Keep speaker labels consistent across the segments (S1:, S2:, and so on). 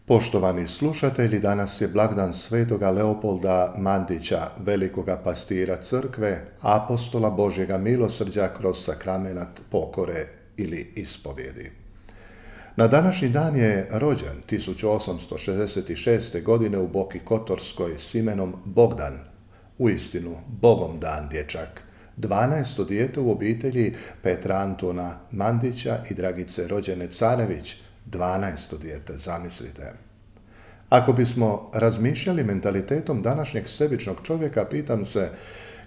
S1: Poštovani slušatelji, danas je blagdan svetoga Leopolda Mandića, velikoga pastira crkve, apostola Božjega milosrđa kroz sakramenat pokore ili ispovjedi. Na današnji dan je rođen 1866. godine u Boki Kotorskoj s imenom Bogdan, uistinu Bogom dan dječak, 12. dijete u obitelji Petra Antuna Mandića i Dragice rođene Carević, 12. dijete, zamislite. Ako bismo razmišljali mentalitetom današnjeg sebičnog čovjeka, pitam se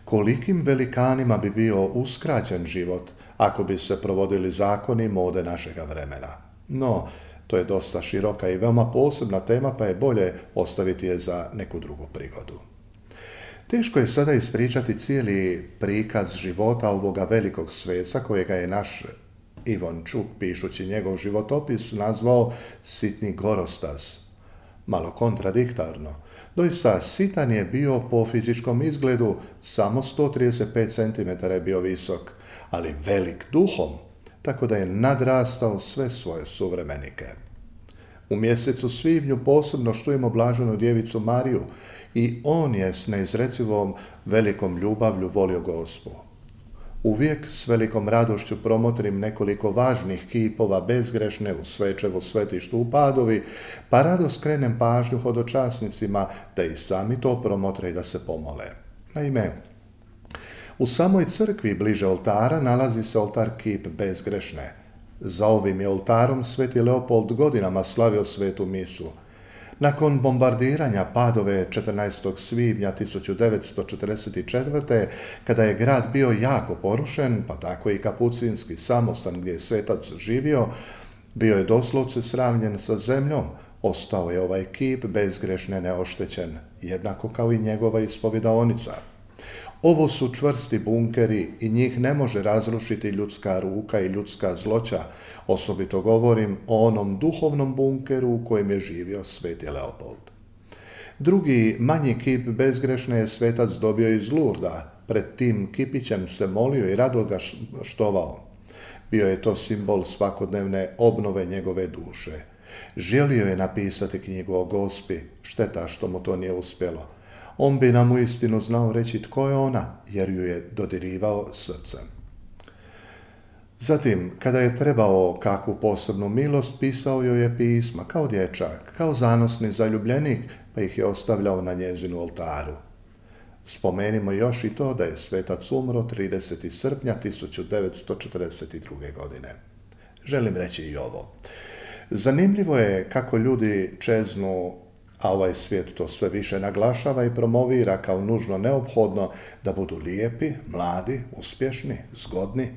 S1: kolikim velikanima bi bio uskraćen život ako bi se provodili zakoni mode našega vremena. No, to je dosta široka i veoma posebna tema, pa je bolje ostaviti je za neku drugu prigodu. Teško je sada ispričati cijeli prikaz života ovoga velikog sveca kojega je naš Ivan Čuk, pišući njegov životopis, nazvao sitni gorostas. Malo kontradiktorno. Doista, sitan je bio po fizičkom izgledu, samo 135 cm je bio visok, ali velik duhom, tako da je nadrastao sve svoje suvremenike. U mjesecu svibnju posebno štujemo blaženu djevicu Mariju i on je s neizrecivom velikom ljubavlju volio Gospu. Uvijek s velikom radošću promotrim nekoliko važnih kipova bezgrešne u Svečevu svetištu u Padovi, pa rado skrenem pažnju hodočasnicima da i sami to promotre i da se pomole. Naime, u samoj crkvi bliže oltara nalazi se oltar kip bezgrešne. Za ovim je oltarom sveti Leopold godinama slavio svetu misu. Nakon bombardiranja Padove 14. svibnja 1944. kada je grad bio jako porušen, pa tako i kapucinski samostan gdje je svetac živio, bio je doslovce sravnjen sa zemljom, ostao je ovaj kip bezgrešne neoštećen, jednako kao i njegova ispovjedaonica. Ovo su čvrsti bunkeri i njih ne može razrušiti ljudska ruka i ljudska zloća, osobito govorim o onom duhovnom bunkeru u kojem je živio sveti Leopold. Drugi, manji kip bezgrešne je svetac dobio iz Lurda, pred tim kipićem se molio i rado ga štovao. Bio je to simbol svakodnevne obnove njegove duše. Želio je napisati knjigu o Gospi, šteta što mu to nije uspjelo. On bi nam uistinu znao reći tko je ona, jer ju je dodirivao srcem. Zatim, kada je trebao kakvu posebnu milost, pisao joj je pisma, kao dječak, kao zanosni zaljubljenik, pa ih je ostavljao na njezinu oltaru. Spomenimo još i to da je svetac umro 30. srpnja 1942. godine. Želim reći i ovo. Zanimljivo je kako ljudi čeznu, a ovaj svijet to sve više naglašava i promovira kao nužno neophodno da budu lijepi, mladi, uspješni, zgodni.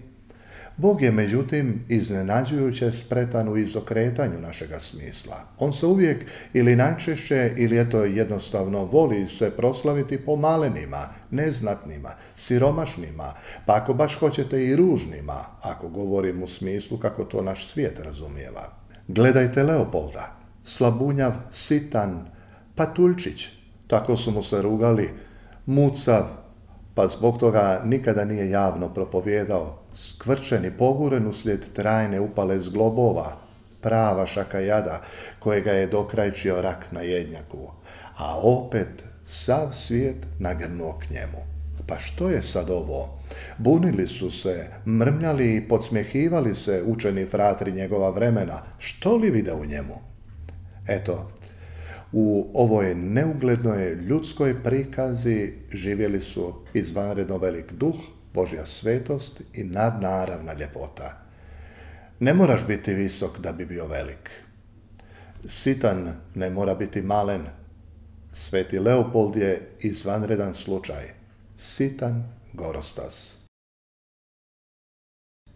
S1: Bog je međutim iznenađujuće spretan u izokretanju našega smisla. On se uvijek ili najčešće ili eto jednostavno voli se proslaviti po malenima, neznatnima, siromašnima, pa ako baš hoćete i ružnima, ako govorim u smislu kako to naš svijet razumijeva. Gledajte Leopolda. Slabunjav, sitan, patuljčić, tako su mu se rugali, mucav, pa zbog toga nikada nije javno propovijedao, skvrčen i poguren uslijed trajne upale zglobova, prava šakajada kojega je dokrajčio rak na jednjaku, a opet sav svijet nagrnuo k njemu. Pa što je sad ovo? Bunili su se, mrmljali i podsmjehivali se učeni fratri njegova vremena, što li vide u njemu? Eto, u ovoj neuglednoj ljudskoj prikazi živjeli su izvanredno velik duh, Božja svetost i nadnaravna ljepota. Ne moraš biti visok da bi bio velik. Sitan ne mora biti malen. Sveti Leopold je izvanredan slučaj. Sitan gorostas.